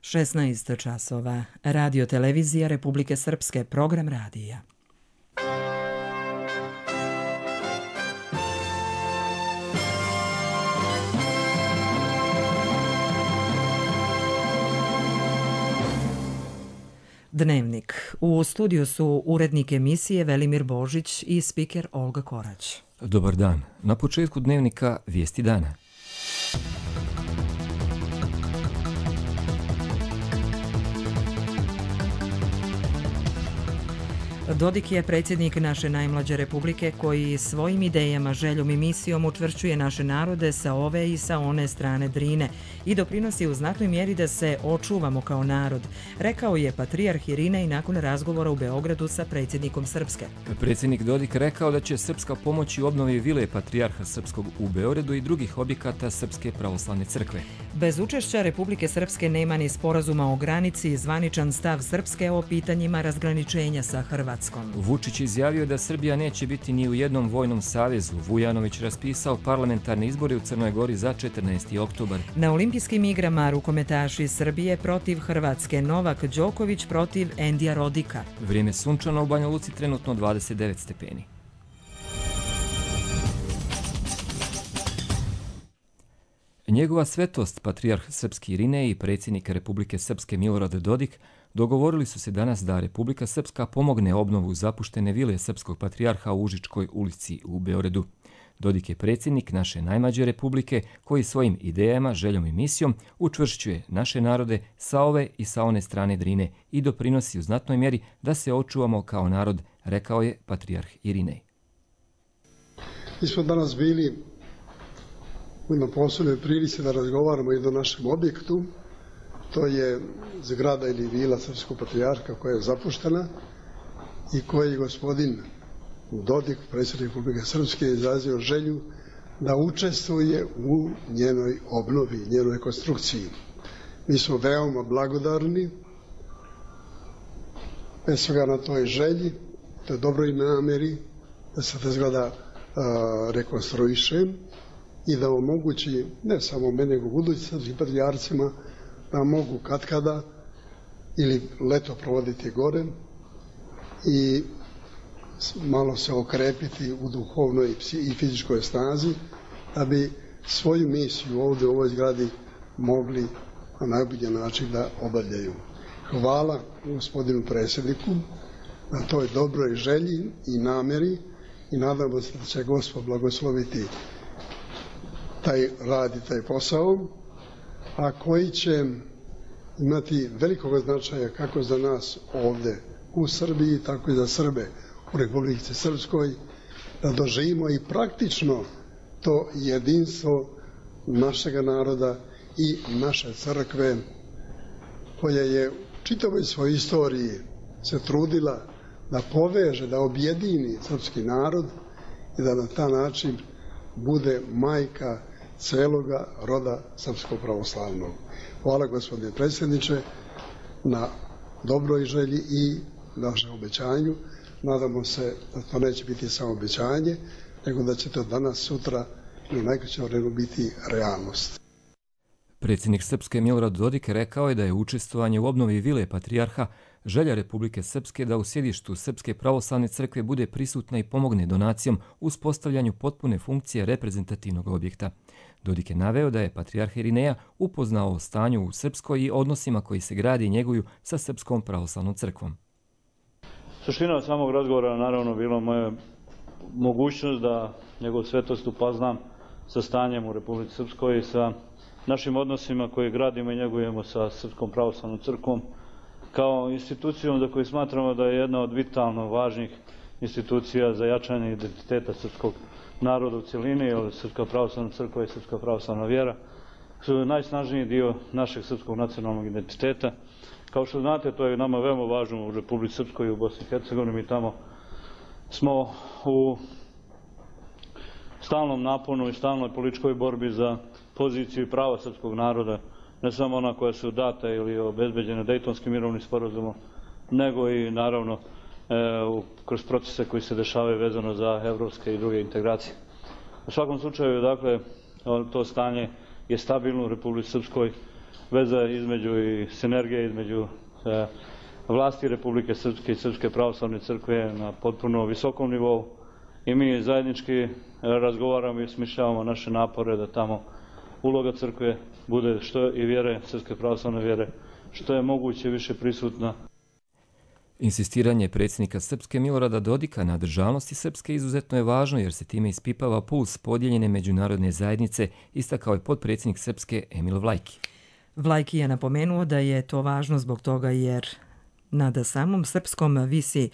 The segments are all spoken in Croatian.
16 časova. Radio televizija Republike Srpske, program radija. Dnevnik. U studiju su urednik emisije Velimir Božić i spiker Olga Korać. Dobar dan. Na početku dnevnika vijesti dana. Dodik je predsjednik naše najmlađe republike koji svojim idejama, željom i misijom učvršćuje naše narode sa ove i sa one strane Drine i doprinosi u znatnoj mjeri da se očuvamo kao narod, rekao je patrijarh Irinej nakon razgovora u Beogradu sa predsjednikom Srpske. Predsjednik Dodik rekao da će Srpska pomoći u obnovi vile patrijarha Srpskog u Beogradu i drugih objekata Srpske pravoslavne crkve. Bez učešća Republike Srpske nema ni sporazuma o granici i zvaničan stav Srpske o pitanjima razgraničenja sa Hrvatskom. Vučić izjavio da Srbija neće biti ni u jednom vojnom savezu. Vujanović raspisao parlamentarne izbore u Crnoj Gori za 14. oktobar. Na olimpijskim igrama rukometaši Srbije protiv Hrvatske, Novak Đoković protiv Endija Rodika. Vrijeme sunčano, u Banja Luci trenutno 29 stepeni. Njegova svetost, patrijarh Srpski Irinej i predsjednik Republike Srpske Milorad Dodik dogovorili su se danas da Republika Srpska pomogne obnovu zapuštene vile Srpskog patrijarha u Užičkoj ulici u Beogradu. Dodik je predsjednik naše najmlađe republike koji svojim idejama, željom i misijom učvršćuje naše narode sa ove i sa one strane Drine i doprinosi u znatnoj mjeri da se očuvamo kao narod, rekao je patrijarh Irinej. Mi smo danas bili u jednoj posebnoj prilici da razgovaramo i o našem objektu. To je zgrada ili vila Srpskog patrijarha koja je zapuštena i koji gospodin Dodik, predsjednik Republike Srpske, je izrazio želju da učestvuje u njenoj obnovi, njenoj rekonstrukciji. Mi smo veoma blagodarni bez svega na toj želji, toj dobroj namjeri da se ta zgrada rekonstruiše i da omogući ne samo mene, nego budućim srpskim patrijarcima da mogu katkada ili leto provoditi gore i malo se okrepiti u duhovnoj i fizičkoj snazi, da bi svoju misiju ovdje u ovoj zgradi mogli na najbolji način da obavljaju. Hvala gospodinu predsjedniku na toj dobroj želji i namjeri i nadamo se da će Gospod blagosloviti taj rad i taj posao, a koji će imati velikog značaja kako za nas ovdje u Srbiji, tako i za Srbe u Republici Srpskoj, da doživimo i praktično to jedinstvo našega naroda i naše crkve, koja je u čitavoj svojoj istoriji se trudila da poveže, da objedini srpski narod i da na taj način bude majka celoga roda srpskog pravoslavnog. Hvala gospodine predsjedniče na dobroj želji i našem obećanju. Nadamo se da to neće biti samo obećanje, nego da će to danas, sutra i u najkraćem vremenu biti realnost. Predsjednik Srpske Milorad Dodik rekao je da je učestvovanje u obnovi vile patrijarha želja Republike Srpske da u sjedištu Srpske pravoslavne crkve bude prisutna i pomogne donacijom u uspostavljanju potpune funkcije reprezentativnog objekta. Dodik je naveo da je patrijarh Irineja upoznao o stanju u Srpskoj i odnosima koji se gradi i njeguju sa Srpskom pravoslavnom crkvom. Suština samog razgovora naravno bila moja mogućnost da njegov svetost upoznam sa stanjem u Republici Srpskoj i sa našim odnosima koje gradimo i njegujemo sa Srpskom pravoslavnom crkvom kao institucijom za koju smatramo da je jedna od vitalno važnih institucija za jačanje identiteta srpskog naroda u cjelini, jer Srpska pravoslavna crkva i Srpska pravoslavna vjera su najsnažniji dio našeg srpskog nacionalnog identiteta. Kao što znate, to je nama veoma važno u Republici Srpskoj i u Bosni i Hercegovini. Mi tamo smo u stalnom naponu i stalnoj političkoj borbi za poziciju i prava srpskog naroda, ne samo ona koja su data ili obezbeđene Dejtonskim mirovnim sporazumom, nego i naravno kroz procese koji se dešavaju vezano za evropske i druge integracije. U svakom slučaju, dakle, to stanje je stabilno u Republici Srpskoj. veza između i sinergije između vlasti Republike Srpske i Srpske pravoslavne crkve na potpuno visokom nivou i mi zajednički razgovaramo i osmišljavamo naše napore da tamo uloga crkve bude što i vjere, Srpske pravoslavne vjere, što je moguće više prisutna. Insistiranje predsjednika Srpske Milorada Dodika na državnosti Srpske izuzetno je važno jer se time ispipava puls podijeljene međunarodne zajednice, istakao je potpredsjednik Srpske Emil Vlajki. Vlajki je napomenuo da je to važno zbog toga jer nad samom Srpskom visi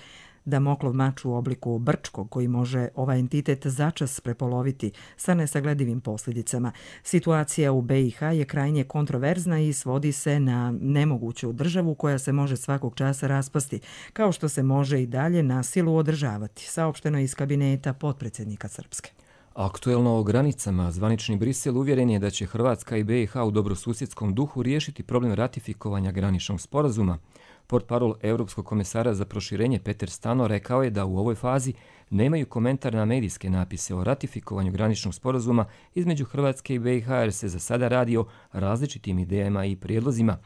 Damoklov mač u obliku Brčkog koji može ovaj entitet začas prepoloviti sa nesagledivim posljedicama. Situacija u BiH je krajnje kontroverzna i svodi se na nemoguću državu koja se može svakog časa raspasti, kao što se može i dalje na silu održavati, saopšteno iz kabineta potpredsjednika Srpske. Aktuelno o granicama, zvanični Brisel uvjeren je da će Hrvatska i BiH u dobrosusjedskom duhu riješiti problem ratifikovanja graničnog sporazuma. Portparol Europskog komesara za proširenje Peter Stano rekao je da u ovoj fazi nemaju komentar na medijske napise o ratifikovanju graničnog sporazuma između Hrvatske i BiH jer se za sada radi o različitim idejama i prijedlozima.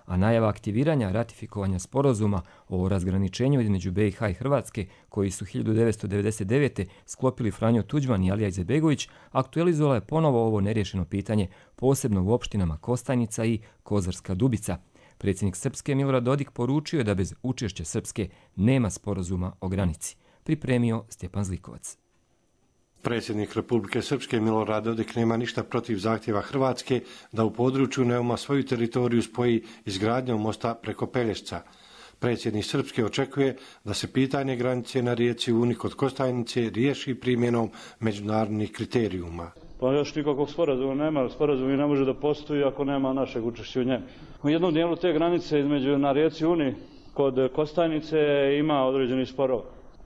A najava aktiviranja ratifikovanja sporazuma o razgraničenju između BiH i Hrvatske, koji su 1999. sklopili Franjo Tuđman i Alija Izetbegović, aktualizovala je ponovo ovo neriješeno pitanje, posebno u opštinama Kostajnica i Kozarska Dubica. Predsjednik Srpske Milorad Dodik poručio je da bez učešća Srpske nema sporazuma o granici. Pripremio Stjepan Zlikovac. Predsjednik Republike Srpske Milorad Dodik nema ništa protiv zahtjeva Hrvatske da u području Neuma svoju teritoriju spoji izgradnjom mosta preko Pelješca. Predsjednik Srpske očekuje da se pitanje granice na rijeci Uni kod Kostajnice riješi primjenom međunarodnih kriterijuma. Pa još nikakvog sporazuma nema, sporazum i ne može da postoji ako nema našeg učešća u njemu. U jednom dijelu te granice između na rijeci Uni kod Kostajnice ima određeni sporov.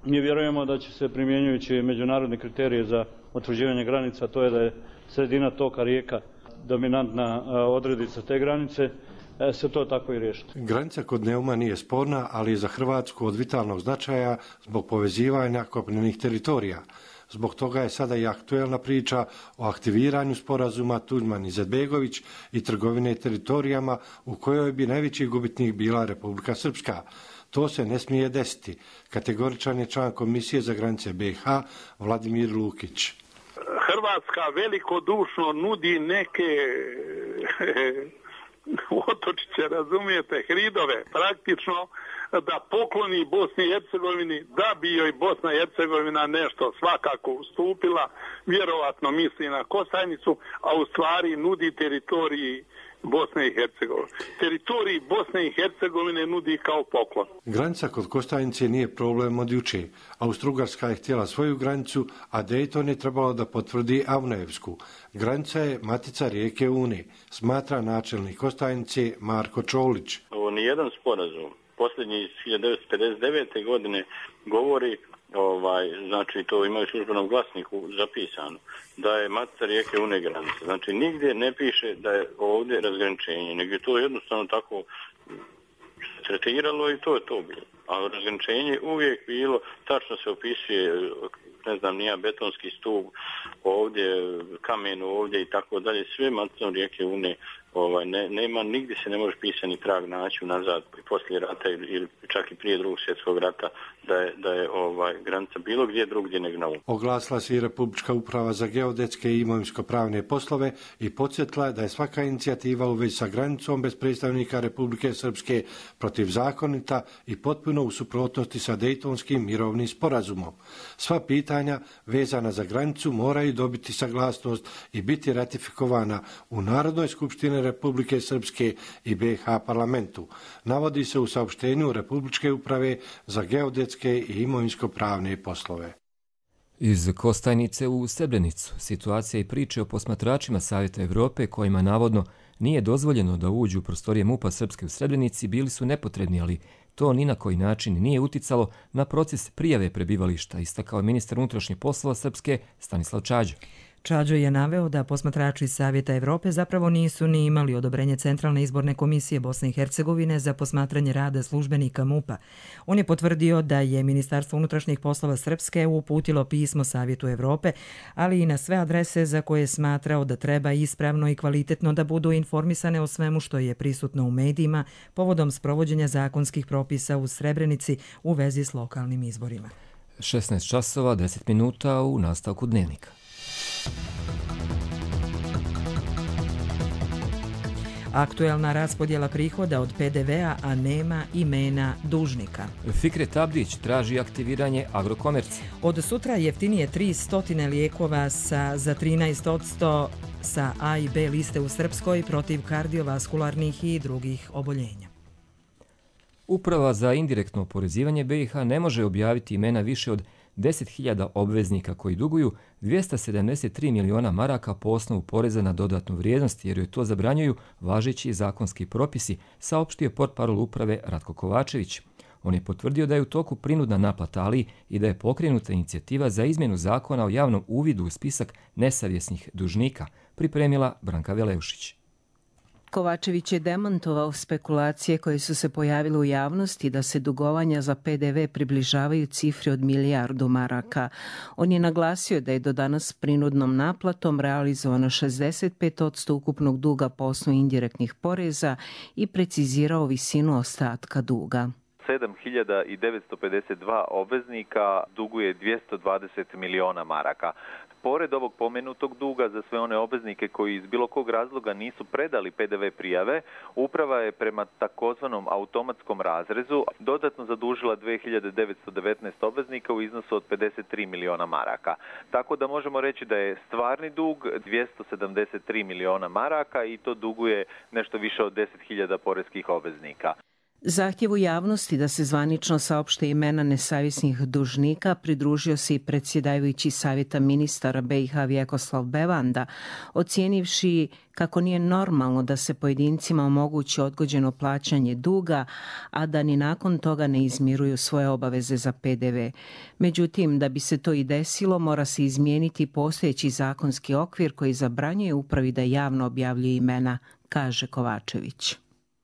Mi vjerujemo da će se primjenjujući međunarodne kriterije za utvrđivanje granica, to je da je sredina toka rijeka dominantna odredica te granice, se to tako i riješiti. Granica kod Neuma nije sporna, ali je za Hrvatsku od vitalnog značaja zbog povezivanja kopnenih teritorija. Zbog toga je sada i aktuelna priča o aktiviranju sporazuma Tuđman-Izetbegović i trgovine teritorijama u kojoj bi najveći gubitnik bila Republika Srpska. To se ne smije desiti, kategoričan je član Komisije za granice BiH Vladimir Lukić. Hrvatska velikodušno nudi neke otočiće, razumijete, hridove, praktično da pokloni Bosni i Hercegovini, da bi joj Bosna i Hercegovina nešto svakako ustupila, vjerovatno misli na Kostajnicu, a u stvari nudi teritoriji Bosne i Hercegovine. Teritoriji Bosne i Hercegovine nudi kao poklon. Granica kod Kostajnice nije problem od juče. Austro-Ugarska je htjela svoju granicu, a Dayton je trebalo da potvrdi Avnojevsku. Granica je matica rijeke Une, smatra načelnik Kostajnice Marko Čolić. Ovo nijedan sporazum, posljednji iz 1959. godine govori, znači to imaju u službenom glasniku zapisano, da je matica rijeke Une granica. Znači nigdje ne piše da je ovdje razgraničenje, nego je to jednostavno tako tretiralo i to je to bilo. A razgraničenje uvijek bilo, tačno se opisuje, ne znam, nija betonski stup, ovdje kamenu, ovdje i tako dalje, sve maticom rijeke Une. Nema, nigdje se ne može pisani trag naći nazad poslije rata ili čak i prije Drugog svjetskog rata da je granica bilo gdje drugdje nego na Uni. Oglasila se i Republička uprava za geodetske i imovinsko-pravne poslove i podsjetila da je svaka inicijativa u vezi sa granicom bez predstavnika Republike Srpske protivzakonita i potpuno u suprotnosti sa Dejtonskim mirovnim sporazumom. Sva pitanja vezana za granicu moraju dobiti saglasnost i biti ratifikovana u Narodnoj skupštini Republike Srpske i BiH parlamentu. Navodi se u saopštenju Republičke uprave za geodetske i imovinsko-pravne poslove. Iz Kostajnice u Srebrenicu situacija i priče o posmatračima Savjeta Evrope kojima navodno nije dozvoljeno da uđu u prostorije MUP-a Srpske u Srebrenici bili su nepotrebni, ali to ni na koji način nije uticalo na proces prijave prebivališta, istakao je ministar unutrašnjih poslova Srpske Stanislav Čađa. Čađo je naveo da posmatrači Savjeta Evrope zapravo nisu ni imali odobrenje Centralne izborne komisije Bosne i Hercegovine za posmatranje rada službenika MUP-a. On je potvrdio da je Ministarstvo unutrašnjih poslova Srpske uputilo pismo Savjetu Evrope, ali i na sve adrese za koje je smatrao da treba ispravno i kvalitetno da budu informisane o svemu što je prisutno u medijima povodom sprovođenja zakonskih propisa u Srebrenici u vezi s lokalnim izborima. 16 časova, 10 minuta u nastavku dnevnika. Aktuelna raspodjela prihoda od PDV-a, a nema imena dužnika. Fikret Abdić traži aktiviranje Agrokomerca. Od sutra jeftinije 300 lijekova za 13% sa A i B liste u Srpskoj protiv kardiovaskularnih i drugih oboljenja. Uprava za indirektno oporezivanje BiH ne može objaviti imena više od 10.000 obveznika koji duguju 273 miliona maraka po osnovu poreza na dodatnu vrijednost, jer joj to zabranjuju važeći zakonski propisi, saopštio portparol uprave Ratko Kovačević. On je potvrdio da je u toku prinudna naplata, ali i da je pokrenuta inicijativa za izmjenu zakona o javnom uvidu u spisak nesavjesnih dužnika, pripremila Branka Veleušić. Kovačević je demantovao spekulacije koje su se pojavile u javnosti da se dugovanja za PDV približavaju cifri od 1 milijardu maraka. On je naglasio da je do danas prinudnom naplatom realizovano 65% ukupnog duga po osnovu indirektnih poreza i precizirao visinu ostatka duga. 7.952 obveznika duguje 220 miliona maraka. Pored ovog pomenutog duga za sve one obveznike koji iz bilo kog razloga nisu predali PDV prijave, uprava je prema takozvanom automatskom razrezu dodatno zadužila 2.919 obveznika u iznosu od 53 miliona maraka. Tako da možemo reći da je stvarni dug 273 miliona maraka i to duguje nešto više od 10.000 poreskih obveznika. Zahtjevu javnosti da se zvanično saopšte imena nesavjesnih dužnika pridružio se i predsjedavajući Savjeta ministara BiH Vjekoslav Bevanda, ocijenivši kako nije normalno da se pojedincima omogući odgođeno plaćanje duga, a da ni nakon toga ne izmiruju svoje obaveze za PDV. Međutim, da bi se to i desilo, mora se izmijeniti postojeći zakonski okvir koji zabranjuje upravi da javno objavljuje imena, kaže Kovačević.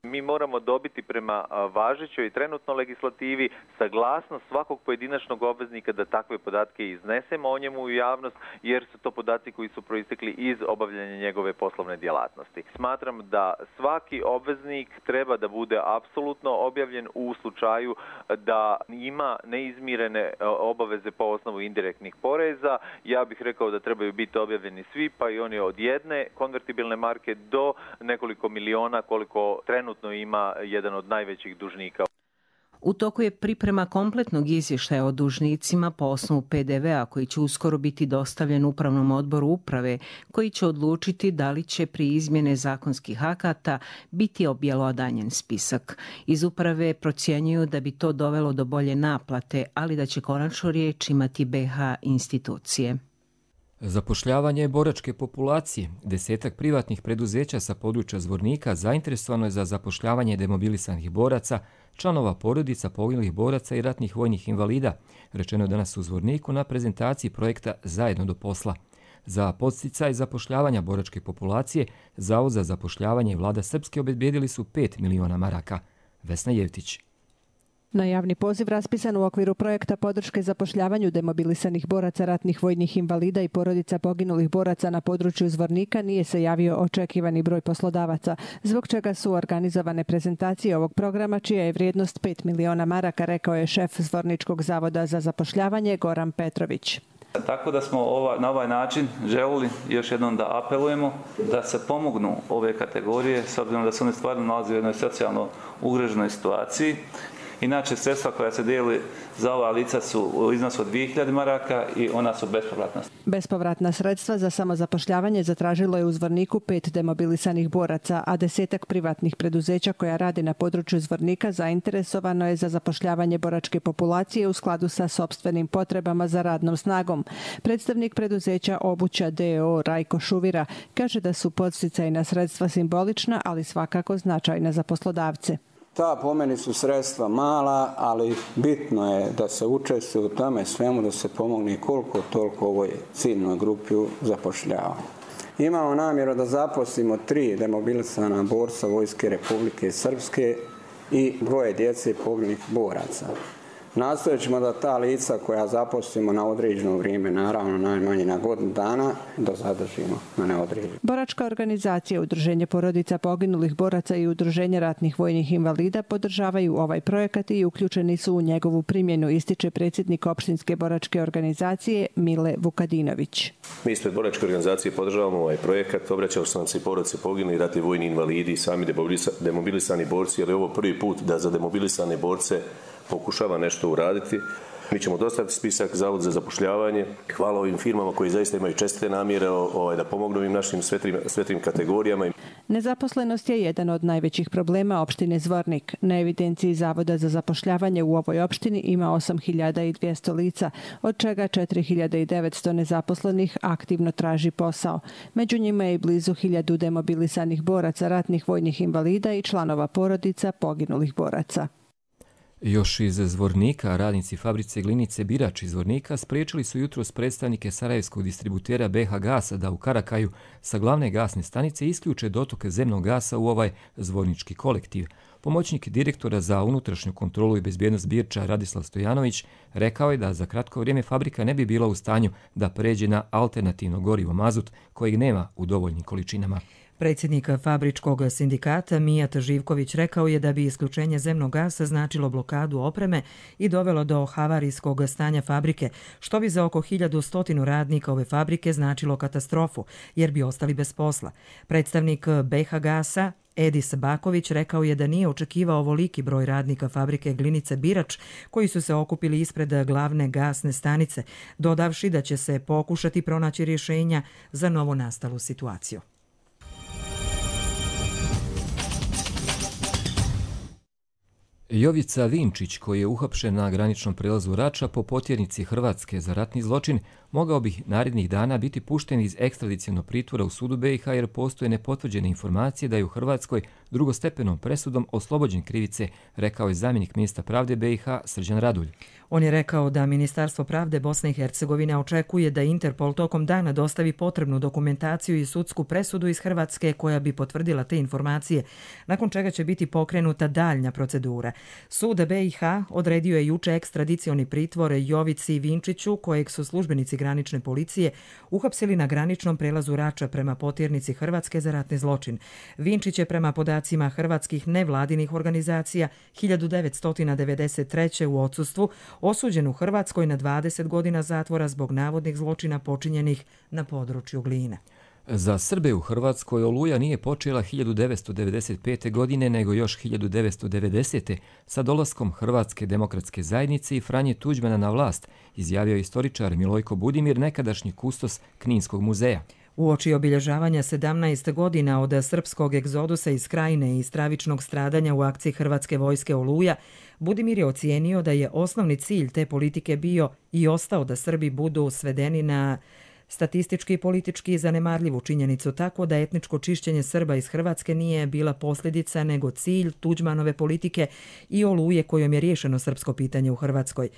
Mi moramo dobiti prema važećoj i trenutnoj legislativi saglasnost svakog pojedinačnog obveznika da takve podatke iznesemo o njemu u javnost, jer su to podaci koji su proistekli iz obavljanja njegove poslovne djelatnosti. Smatram da svaki obveznik treba da bude apsolutno objavljen u slučaju da ima neizmirene obaveze po osnovu indirektnih poreza. Ja bih rekao da trebaju biti objavljeni svi, pa i oni od jedne konvertibilne marke do nekoliko miliona koliko trenutno ima jedan od najvećih dužnika. U toku je priprema kompletnog izvještaja o dužnicima po osnovu PDV-a koji će uskoro biti dostavljen Upravnom odboru uprave, koji će odlučiti da li će pri izmjene zakonskih akata biti objelodanjen spisak. Iz uprave procjenjuju da bi to dovelo do bolje naplate, ali da će konačnu riječ imati BiH institucije. Zapošljavanje boračke populacije. 10 privatnih preduzeća sa područja Zvornika zainteresovano je za zapošljavanje demobilisanih boraca, članova porodica poginulih boraca i ratnih vojnih invalida, rečeno je danas u Zvorniku na prezentaciji projekta Zajedno do posla. Za podsticaj zapošljavanja boračke populacije, Zavod za zapošljavanje i Vlada Srpske obezbijedili su 5 miliona maraka. Vesna Jevtić. Na javni poziv raspisan u okviru projekta podrške zapošljavanju demobilisanih boraca, ratnih vojnih invalida i porodica poginulih boraca na području Zvornika nije se javio očekivani broj poslodavaca, zbog čega su organizovane prezentacije ovog programa, čija je vrijednost 5 miliona maraka, rekao je šef Zvorničkog zavoda za zapošljavanje Goran Petrović. Tako da smo na ovaj način želili još jednom da apelujemo da se pomognu ove kategorije, s obzirom da se one stvarno nalaze u jednoj socijalno ugroženoj situaciji. Inače, sredstva koja se dijeli za ova lica su u iznosu od 2000 maraka i ona su bespovratna. Bespovratna sredstva za samozapošljavanje zatražilo je u Zvorniku 5 demobilisanih boraca, a 10 privatnih preduzeća koja radi na području Zvornika zainteresovano je za zapošljavanje boračke populacije u skladu sa sopstvenim potrebama za radnom snagom. Predstavnik preduzeća Obuća d.o.o. Rajko Šuvira kaže da su podsticajna sredstva simbolična, ali svakako značajna za poslodavce. Ta po meni su sredstva mala, ali bitno je da se učestvuje u tome svemu, da se pomogne koliko toliko ovoj ciljnoj grupi zapošljavanja. Imamo namjeru da zaposlimo 3 demobilisana borca Vojske Republike Srpske i 2 djece poginulih boraca. Nastojat ćemo da ta lica koja zaposlimo na određeno vrijeme, naravno najmanje na godinu dana, da zadržimo na neodređeno. Boračka organizacija, Udruženje porodica poginulih boraca i Udruženje ratnih vojnih invalida podržavaju ovaj projekat i uključeni su u njegovu primjenu, ističe predsjednik opštinske boračke organizacije Mile Vukadinović. Mi ispred boračke organizacije podržavamo ovaj projekat. Obraćao sam se i porodice poginuli, ratni vojni invalidi, sami demobilisani borci, jer je ovo prvi put da za demobilisane borce pokušava nešto uraditi. Mi ćemo dostaviti spisak Zavodu za zapošljavanje. Hvala ovim firmama koji zaista imaju čestite namjere da pomognu im našim sve trim kategorijama. Nezaposlenost je jedan od najvećih problema opštine Zvornik. Na evidenciji Zavoda za zapošljavanje u ovoj opštini ima 8.200 lica, od čega 4.900 nezaposlenih aktivno traži posao. Među njima je i blizu 1000 demobilisanih boraca, ratnih vojnih invalida i članova porodica poginulih boraca. Još iz Zvornika, radnici fabrice Glinice Birač iz Zvornika spriječili su jutros predstavnike sarajevskog distributera BH Gasa da u Karakaju sa glavne gasne stanice isključe dotok zemnog gasa u ovaj zvornički kolektiv. Pomoćnik direktora za unutrašnju kontrolu i bezbjednost Birča Radislav Stojanović rekao je da za kratko vrijeme fabrika ne bi bila u stanju da pređe na alternativno gorivo mazut kojeg nema u dovoljnim količinama. Predsjednik fabričkog sindikata Mijat Živković rekao je da bi isključenje zemnog gasa značilo blokadu opreme i dovelo do havarijskog stanja fabrike, što bi za oko 1100 radnika ove fabrike značilo katastrofu, jer bi ostali bez posla. Predstavnik BH Gasa Edis Baković rekao je da nije očekivao ovoliki broj radnika fabrike Glinice Birač koji su se okupili ispred glavne gasne stanice, dodavši da će se pokušati pronaći rješenja za novonastalu situaciju. Jovica Vinčić, koji je uhapšen na graničnom prelazu Rača po potjernici Hrvatske za ratni zločin, mogao bi narednih dana biti pušten iz ekstradicionog pritvora u sudu BiH jer postoje nepotvrđene informacije da je u Hrvatskoj drugostepenom presudom oslobođen krivice, rekao je zamjenik ministra pravde BiH Srđan Radulj. On je rekao da Ministarstvo pravde Bosne i Hercegovine očekuje da Interpol tokom dana dostavi potrebnu dokumentaciju i sudsku presudu iz Hrvatske koja bi potvrdila te informacije, nakon čega će biti pokrenuta daljnja procedura. Sud BiH odredio je juče ekstradicioni pritvor Jovici Vinčiću, kojeg su službenici granične policije uhapsili na graničnom prelazu Rača prema potjernici Hrvatske za ratni zločin. Vinčić je prema podacima hrvatskih nevladinih organizacija 1993. u odsustvu osuđen u Hrvatskoj na 20 godina zatvora zbog navodnih zločina počinjenih na području Gline. Za Srbe u Hrvatskoj Oluja nije počela 1995. godine, nego još 1990. sa dolaskom Hrvatske demokratske zajednice i Franje Tuđmana na vlast, izjavio istoričar Milojko Budimir, nekadašnji kustos Kninskog muzeja. Uoči obilježavanja 17 godina od srpskog egzodusa iz Krajine i stravičnog stradanja u akciji Hrvatske vojske Oluja, Budimir je ocijenio da je osnovni cilj te politike bio i ostao da Srbi budu svedeni na statistički i politički zanemarljivu činjenicu, tako da etničko čišćenje Srba iz Hrvatske nije bila posljedica nego cilj Tuđmanove politike i Oluje kojom je riješeno srpsko pitanje u Hrvatskoj.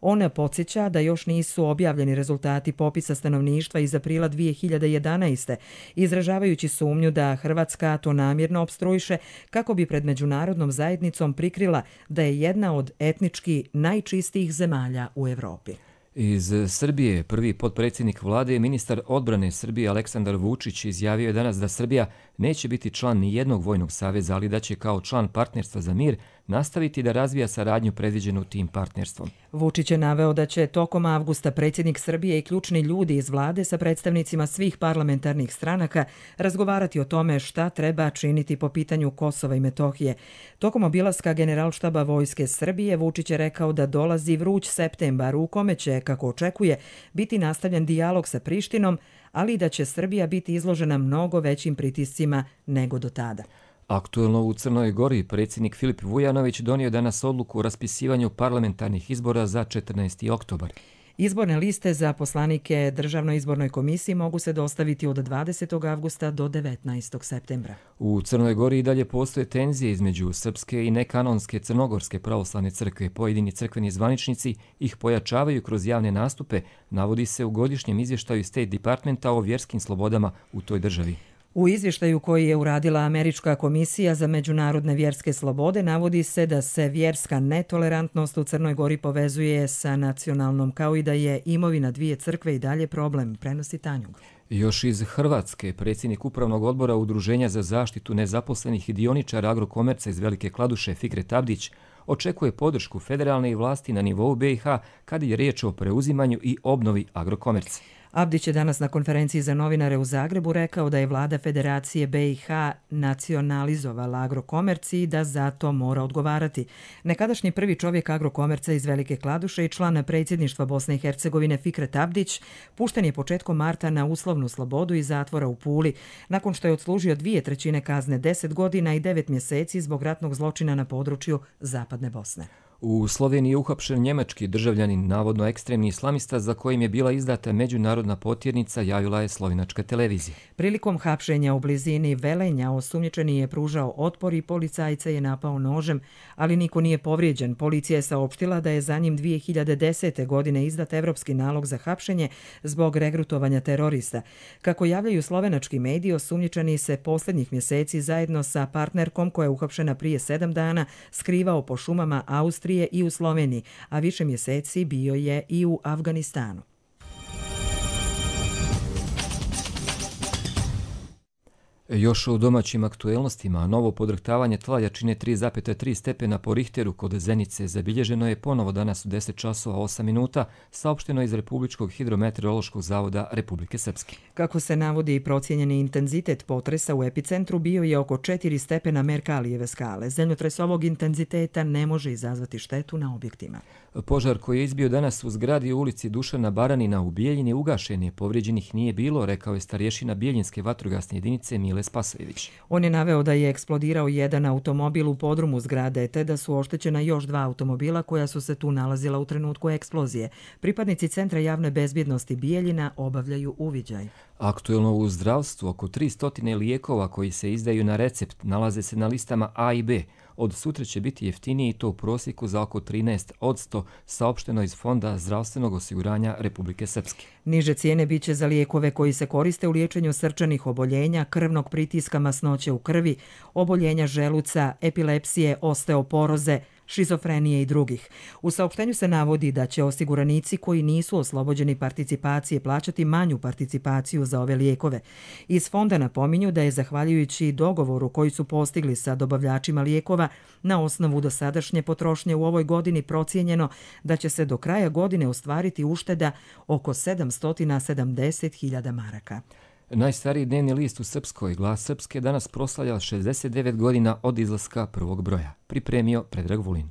On podsjeća da još nisu objavljeni rezultati popisa stanovništva iz aprila 2011. izražavajući sumnju da Hrvatska to namjerno opstruiše kako bi pred međunarodnom zajednicom prikrila da je jedna od etnički najčistijih zemalja u Evropi. Iz Srbije prvi potpredsjednik vlade, ministar odbrane Srbije Aleksandar Vučić, izjavio je danas da Srbija neće biti član ni jednog vojnog saveza, ali da će kao član partnerstva za mir nastaviti da razvija saradnju predviđenu tim partnerstvom. Vučić je naveo da će tokom avgusta predsjednik Srbije i ključni ljudi iz vlade sa predstavnicima svih parlamentarnih stranaka razgovarati o tome šta treba činiti po pitanju Kosova i Metohije. Tokom obilaska Generalštaba Vojske Srbije Vučić je rekao da dolazi vruć septembar u kome će, kako očekuje, biti nastavljen dijalog sa Prištinom, ali i da će Srbija biti izložena mnogo većim pritiscima nego do tada. Aktuelno u Crnoj Gori predsjednik Filip Vujanović donio danas odluku o raspisivanju parlamentarnih izbora za 14. oktobar. Izborne liste za poslanike Državnoj izbornoj komisiji mogu se dostaviti od 20. avgusta do 19. septembra. U Crnoj Gori i dalje postoje tenzije između srpske i nekanonske crnogorske pravoslavne crkve. Pojedini crkveni zvaničnici ih pojačavaju kroz javne nastupe, navodi se u godišnjem izvještaju State Departmenta o vjerskim slobodama u toj državi. U izvještaju koji je uradila Američka komisija za međunarodne vjerske slobode navodi se da se vjerska netolerantnost u Crnoj Gori povezuje sa nacionalnom, kao i da je imovina dvije crkve i dalje problem, prenosi Tanjug. Još iz Hrvatske, predsjednik Upravnog odbora Udruženja za zaštitu nezaposlenih i dioničara Agrokomerca iz Velike Kladuše Fikret Abdić očekuje podršku federalne vlasti na nivou BiH kad je riječ o preuzimanju i obnovi Agrokomerca. Abdić je danas na konferenciji za novinare u Zagrebu rekao da je vlada Federacije BiH nacionalizovala Agrokomerci i da zato mora odgovarati. Nekadašnji prvi čovjek Agrokomerca iz Velike Kladuše i član predsjedništva Bosne i Hercegovine Fikret Abdić pušten je početkom marta na uslovnu slobodu iz zatvora u Puli, nakon što je odslužio 2/3 kazne 10 godina i 9 mjeseci zbog ratnog zločina na području Zapadne Bosne. U Sloveniji je uhapšen njemački državljanin, navodno ekstremni islamista za kojim je bila izdata međunarodna potjernica, javila je slovenačka televizija. Prilikom hapšenja u blizini Velenja osumnjičeni je pružao otpor i policajca je napao nožem, ali niko nije povrijeđen. Policija je saopštila da je za njim 2010. godine izdat evropski nalog za hapšenje zbog regrutovanja terorista. Kako javljaju slovenački mediji, osumnjičeni se posljednjih mjeseci zajedno sa partnerkom koja je uhapšena prije 7 dana skrivao po šumama Austrije i u Sloveniji, a više mjeseci bio je i u Afganistanu. Još u domaćim aktuelnostima, novo podrhtavanje tla jačine 3,3 stepena po Richteru kod Zenice zabilježeno je ponovo danas u 10 časova 8 minuta, saopšteno iz Republičkog hidrometeorološkog zavoda Republike Srpske. Kako se navodi, procijenjeni intenzitet potresa u epicentru bio je oko 4 stepena Merkalijeve skale. Zemljotres ovog intenziteta ne može izazvati štetu na objektima. Požar koji je izbio danas u zgradi u ulici Dušana Baranina u Bijeljini ugašen je, povrijeđenih nije bilo, rekao je starješina Bijeljinske vatrogasne jedinice Mile Spasojević. On je naveo da je eksplodirao jedan automobil u podrumu zgrade, te da su oštećena još 2 automobila koja su se tu nalazila u trenutku eksplozije. Pripadnici Centra javne bezbjednosti Bijeljina obavljaju uviđaj. Aktuelno u zdravstvu, oko 300 lijekova koji se izdaju na recept nalaze se na listama A i B. Od sutra će biti jeftiniji i to u prosjeku za oko 13%, saopšteno iz Fonda zdravstvenog osiguranja Republike Srpske. Niže cijene biće za lijekove koji se koriste u liječenju srčanih oboljenja, krvnog pritiska, masnoće u krvi, oboljenja želuca, epilepsije, osteoporoze, šizofrenije i drugih. U saopštenju se navodi da će osiguranici koji nisu oslobođeni participacije plaćati manju participaciju za ove lijekove. Iz fonda napominju da je zahvaljujući dogovoru koji su postigli sa dobavljačima lijekova na osnovu dosadašnje potrošnje u ovoj godini procijenjeno da će se do kraja godine ostvariti ušteda oko 770.000 maraka. Najstariji dnevni list u Srpskoj, Glas Srpske, danas proslavlja 69 godina od izlaska prvog broja. Pripremio Predrag Vulin.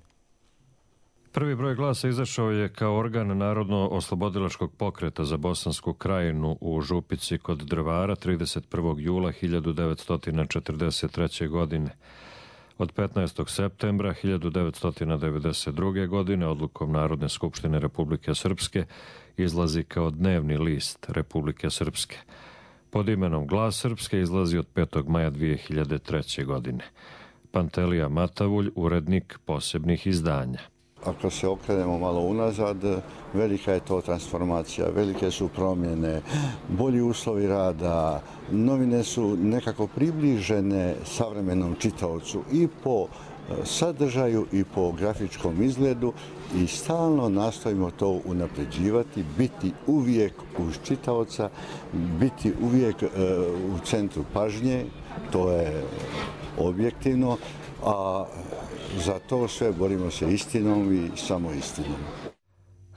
Prvi broj Glasa izašao je kao organ Narodno-oslobodilačkog pokreta za Bosansku krajinu u Župici kod Drvara 31. jula 1943. godine. Od 15. septembra 1992. godine odlukom Narodne skupštine Republike Srpske izlazi kao dnevni list Republike Srpske. Pod imenom Glas Srpske izlazi od 5. maja 2003. godine. Pantelija Matavulj, urednik posebnih izdanja. Ako se okrenemo malo unazad, velika je to transformacija, velike su promjene, bolji uslovi rada, novine su nekako približene savremenom čitaocu i po sadržaju i po grafičkom izgledu i stalno nastojimo to unapređivati, biti uvijek uz čitaoca, biti uvijek u centru pažnje, to je objektivno, a za to sve borimo se istinom i samo istinom.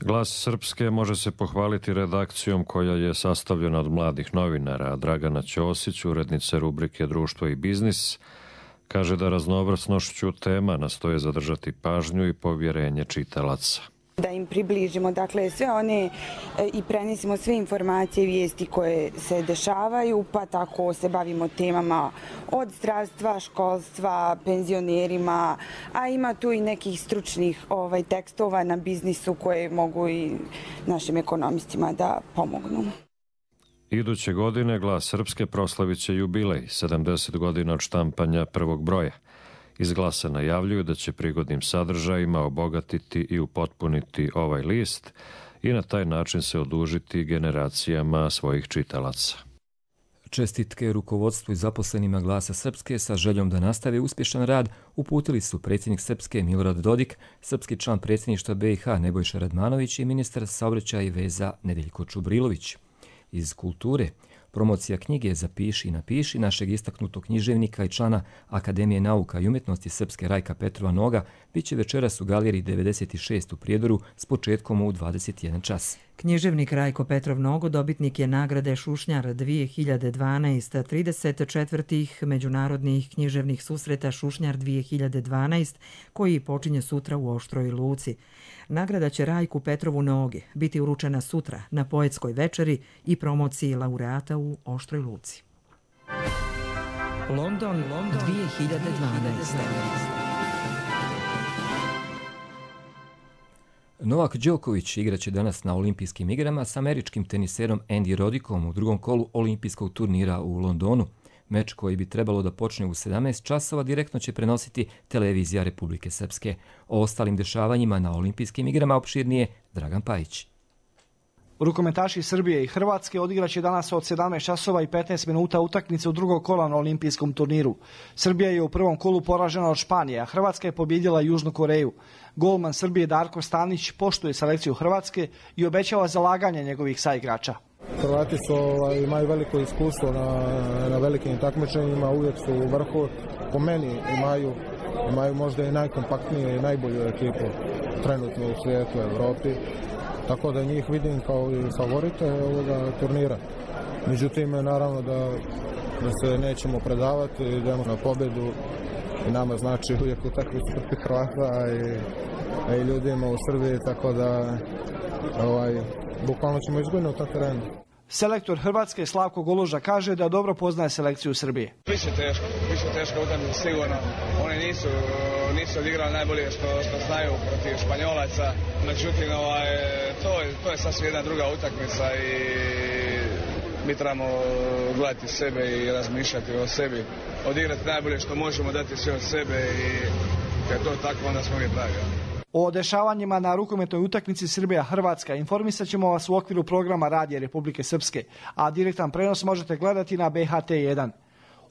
Glas Srpske može se pohvaliti redakcijom koja je sastavljena od mladih novinara. Dragana Ćosić, urednice rubrike Društvo i biznis, kaže da raznovrsnošću tema nastoje zadržati pažnju i povjerenje čitalaca. Da im približimo, dakle, sve one i prenesimo sve informacije i vijesti koje se dešavaju, pa tako se bavimo temama od zdravstva, školstva, penzionerima, a ima tu i nekih stručnih tekstova na biznisu koje mogu i našim ekonomistima da pomognu. Iduće godine Glas Srpske proslavit će jubilej, 70 godina od štampanja prvog broja. Iz Glasa najavljuju da će prigodnim sadržajima obogatiti i upotpuniti ovaj list i na taj način se odužiti generacijama svojih čitalaca. Čestitke rukovodstvu i zaposlenima Glasa Srpske sa željom da nastave uspješan rad uputili su predsjednik Srpske Milorad Dodik, srpski član predsjedništva BiH Nebojša Radmanović i ministar saobraćaja i veza Nedeljko Čubrilović. Iz kulture, promocija knjige Zapiši i napiši našeg istaknutog književnika i člana Akademije nauka i umjetnosti Srpske Rajka Petrova Noga bit će večeras u galeriji 96 u Prijedoru s početkom u 21 čas. Književnik Rajko Petrov Nogo dobitnik je nagrade Šušnjar 2012, 34. međunarodnih književnih susreta Šušnjar 2012, koji počinje sutra u Oštroj Luci. Nagrada će Rajku Petrovu Nogi biti uručena sutra na poetskoj večeri i promociji laureata u Oštroj Luci. London 2012. Novak Đoković igraće danas na olimpijskim igrama s američkim teniserom Andy Roddikom u drugom kolu olimpijskog turnira u Londonu. Meč koji bi trebalo da počne u 17 časova direktno će prenositi televizija Republike Srpske. O ostalim dešavanjima na olimpijskim igrama opširnije Dragan Pajić. Rukometaši Srbije i Hrvatske odigraće danas od 17 časova i 15 minuta utakmice u drugog kola na olimpijskom turniru. Srbija je u prvom kolu poražena od Španije, a Hrvatska je pobjedila Južnu Koreju. Golman Srbije Darko Stanić poštuje selekciju Hrvatske i obećava zalaganje njegovih saigrača. Hrvati imaju veliko iskustvo na velikim takmičenjima, uvijek su u vrhu. Po meni imaju možda i najkompaktniju i najbolju ekipu trenutno u svijetu, Evropi. Tako da njih vidim kao i favorite ovoga turnira. Međutim, naravno da se nećemo predavati, idemo na pobjedu i nama znači uvijek utakmica protiv Hrvata i ljudima u Srbiji, tako da bukvalno ćemo izgubiti na terenu. Selektor Hrvatske Slavko Goluža kaže da dobro poznaje selekciju Srbije. Biće teško utakmica sigurno. Oni nisu odigrali najbolje što znaju protiv Španjolaca. Međutim, to je sasvim jedna druga utakmica i mi trebamo gledati sebe i razmišljati o sebi. Odigrati najbolje što možemo, dati sve od sebe i kad je to tako, onda smo mi pravi. O dešavanjima na rukometnoj utakmici Srbija-Hrvatska informisat ćemo vas u okviru programa Radija Republike Srpske, a direktan prenos možete gledati na BHT1.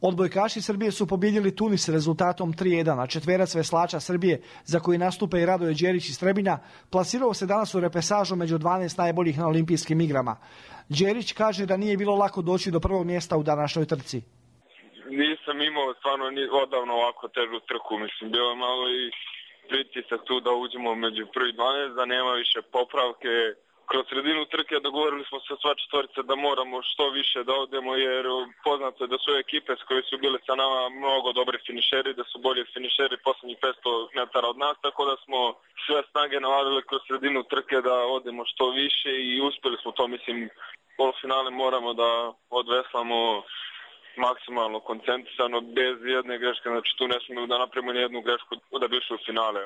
Odbojkaši Srbije su pobjedili Tunis rezultatom 3-1, a četverac veslača Srbije, za koji nastupa i Radoje Đerić iz Trebinja, plasirao se danas u repesažu među 12 najboljih na olimpijskim igrama. Đerić kaže da nije bilo lako doći do prvog mjesta u današnjoj trci. Nisam imao stvarno odavno ovako težu trku, bilo je malo i pritisak tu da uđemo među prvi 12, da nema više popravke. Kroz sredinu trke dogovorili smo se sva četvorica da moramo što više da odemo, jer poznato je da su ekipe koje su bile sa nama mnogo dobri finišeri, da su bolji finišeri posljednjih 500 metara od nas, tako da smo sve snage navadili kroz sredinu trke da odemo što više i uspjeli smo to. Mislim, polufinale moramo da odveslamo maksimalno koncentrisano, bez jedne greške, znači tu ne smijemo da napravimo nijednu grešku da bi ušli u finale.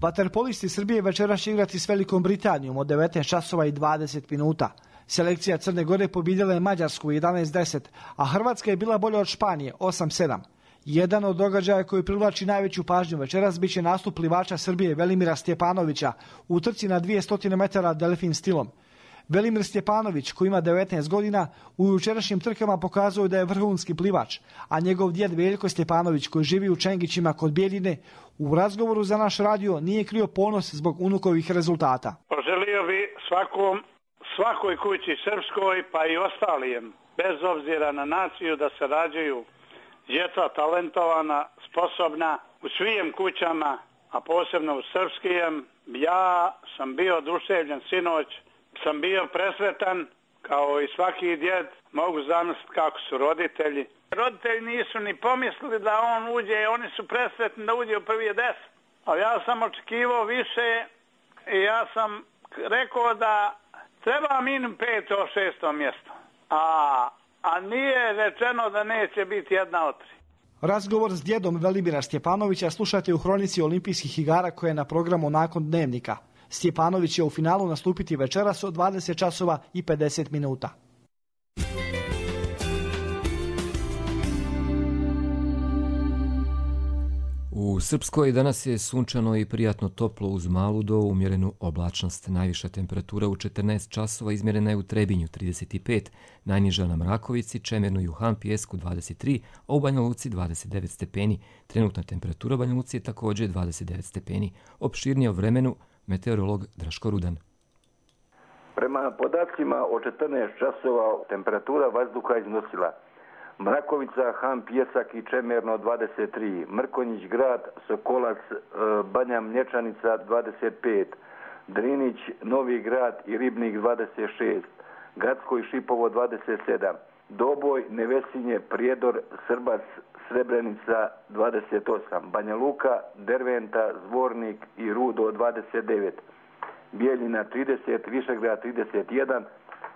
Vaterpolisti Srbije večeras će igrati s Velikom Britanijom od 19 časova i 20 minuta. Selekcija Crne Gore pobjedila je Mađarsku 11-10, a Hrvatska je bila bolja od Španije 8-7. Jedan od događaja koji privlači najveću pažnju večeras biće nastup plivača Srbije Velimira Stjepanovića u trci na 200 metara delfin stilom. Velimir Stjepanović, koji ima 19 godina, u jučerašnjim trkama pokazuje da je vrhunski plivač, a njegov djed Veljko Stjepanović, koji živi u Čengićima kod Bijeljine, u razgovoru za naš radio nije krio ponos zbog unukovih rezultata. Poželio bi svakoj kući srpskoj, pa i ostalijem, bez obzira na naciju, da se rađaju djeca talentovana, sposobna u svim kućama, a posebno u srpskijem. Ja sam bio oduševljen sinoć, sam bio presretan, kao i svaki djed, mogu zamisliti kako su roditelji. Roditelji nisu ni pomislili da on uđe, oni su presretni da uđe u prvi 10. Ali ja sam očekivao više i ja sam rekao da treba minimum 5. 6. mjesto. A nije rečeno da neće biti jedna od 3. Razgovor s djedom Velimira Stjepanovića slušate u Hronici olimpijskih igara koja je na programu nakon Dnevnika. Stjepanović će u finalu nastupiti večeras od 20 časova i 50 minuta. U Srpskoj danas je sunčano i prijatno toplo uz malu do umjerenu oblačnost. Najviša temperatura u 14 časova izmjerena je u Trebinju 35, najniža na Mrakovici, Čemernu i u Han Pijesku 23, a u Banja Luci 29 stepeni. Trenutna temperatura u Banja Luci je također 29 stepeni. Opširnije o vremenu meteorolog Draško Rudan. Prema podacima o 14 časova temperatura vazduha iznosila Mrakovica, Han Pijesak i Čemerno 23, Mrkonjić grad, Sokolac, Banja Mlječanica 25, Drinić, Novi grad i Ribnik 26, Gacko i Šipovo 27, Doboj, Nevesinje, Prijedor, Srbac, Srebrenica 28, Banja Luka, Derventa, Zvornik i Rudo 29, Bijeljina 30, Višegrad 31,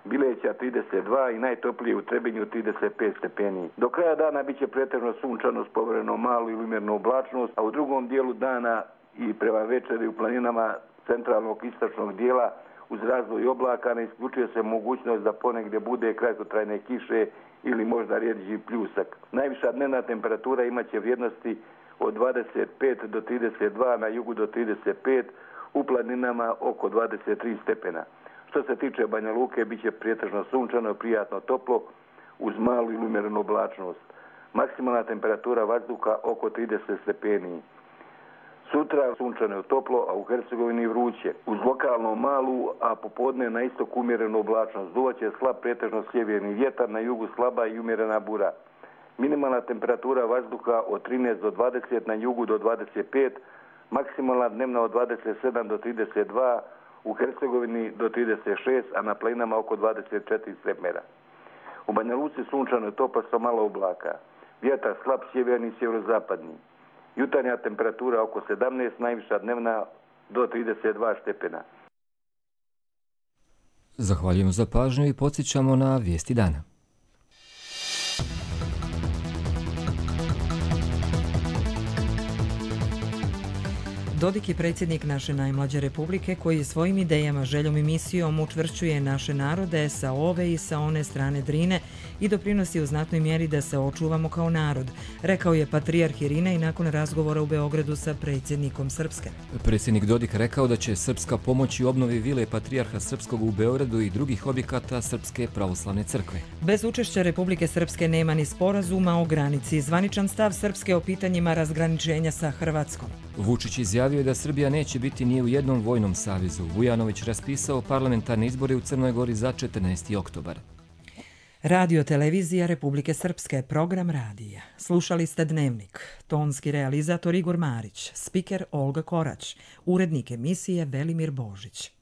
Bileća 32 i najtoplije u Trebinju 35 stepeni. Do kraja dana biće pretežno sunčano s povremenom malu ili umjerenu oblačnost, a u drugom dijelu dana i prema večeri u planinama centralnog istočnog dijela uz razvoj oblaka ne isključuje se mogućnost da ponegdje bude kratkotrajne kiše ili možda rijeđi pljusak. Najviša dnevna temperatura imaće vrijednosti od 25 do 32, na jugu do 35, u planinama oko 23 stepena. Što se tiče Banja Luke, bit će pretežno sunčano, prijatno toplo, uz malu ili umjerenu oblačnost. Maksimalna temperatura vazduha oko 30 stepeni. Sutra sunčano je toplo, a u Hercegovini vruće. Uz lokalno malu, a popodne na istok umjerenu oblačnost. Duvaće slab pretežno sjeverni vjetar, na jugu slaba i umjerena bura. Minimalna temperatura vazduha od 13 do 20, na jugu do 25, maksimalna dnevna od 27 do 32, u Hercegovini do 36, a na planinama oko 24 stepena. U Banja Luci sunčano je toplo sa malo oblaka. Vjetar slab sjeverni i sjeverozapadni. Jutarnja temperatura oko 17, najviša dnevna do 32 stepena. Zahvaljujemo za pažnju i podsjećamo na vijesti dana. Dodik je predsjednik naše najmlađe republike koji svojim idejama, željom i misijom učvršćuje naše narode sa ove i sa one strane Drine i doprinosi u znatnoj mjeri da se očuvamo kao narod, rekao je patrijarh Irinej nakon razgovora u Beogradu sa predsjednikom Srpske. Predsjednik Dodik rekao da će Srpska pomoći u obnovi vile patrijarha Srpskog u Beogradu i drugih objekata Srpske pravoslavne crkve. Bez učešća Republike Srpske nema ni sporazuma o granici. Zvaničan stav Srpske o pitanjima razgraničenja sa Hrvatskom. Vučić izjavio je da Srbija neće biti ni u jednom vojnom savezu. Vujanović raspisao parlamentarne izbore u Crnoj Gori za 14. oktobar. Radio televizija Republike Srpske, program radija. Slušali ste Dnevnik. Tonski realizator Igor Marić, spiker Olga Korać, urednik emisije Velimir Božić.